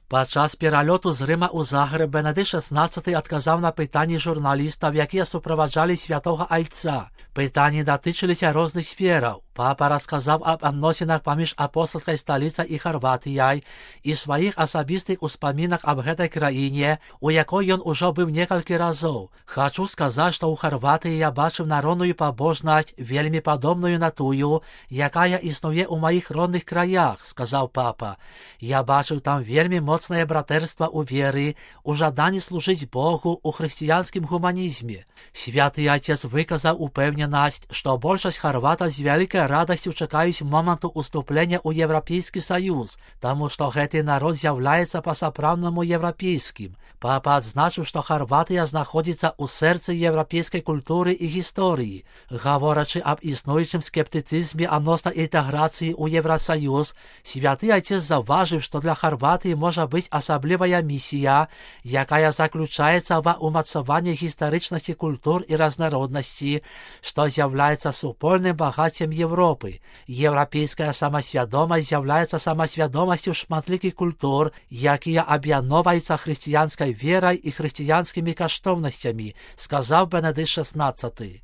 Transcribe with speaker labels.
Speaker 1: Падчас перальоту з Рыма ў Загрэб Бенедыкт XVI адказаў на пытанні журналістаў, якія суправаджалі святога айца. Пытанні датычыліся розных сфераў. Папа расказаў аб адносінах паміж апостальскай сталіцай і Харватыяй і сваіх асабістых успамінах аб гэтай краіне, у якой ён ужо быў некалькі разоў. Хачу сказаць, што ў Харватыі я бачыў народную пабожнасць, вельмі падобную на тую, якая існуе ў маіх родных краях, сказаў папа. Я бачыў там вельмі моцнае братэрства ў веры, у жаданні служыць Богу ў хрысціянскім гуманізме. Святы Отец выказаў упэўненасць, што большасць харватаў з вялікай радасцю чакаюць моманту уступлення ў Еўрапейскі Саюз, таму што гэты народ з'яўляецца па-сапраўднаму еўрапейскім. Папа адзначыў, што Харватыя знаходзіцца ў сэрцы еўрапейскай культуры і гісторыі. Гаворачы аб існуючым скептыцызме адносна інтэграцыі ў Еўрасаюз, святы Отец заўважыў, што для Харватыі можа быць асаблівая місія, якая заключаецца ва ўмацаванні гістарычнасці культур і разнароднасці, што з'яўляецца супольным багаццем Европы. Еўрапейская самасвядомасць з'яўляецца самасвядомасцю шматлікіх культур, якія аб'ядноўваюцца хрысціянскай верай і хрысціянскімі каштоўнасцямі, сказаў Бенедыкт XVI.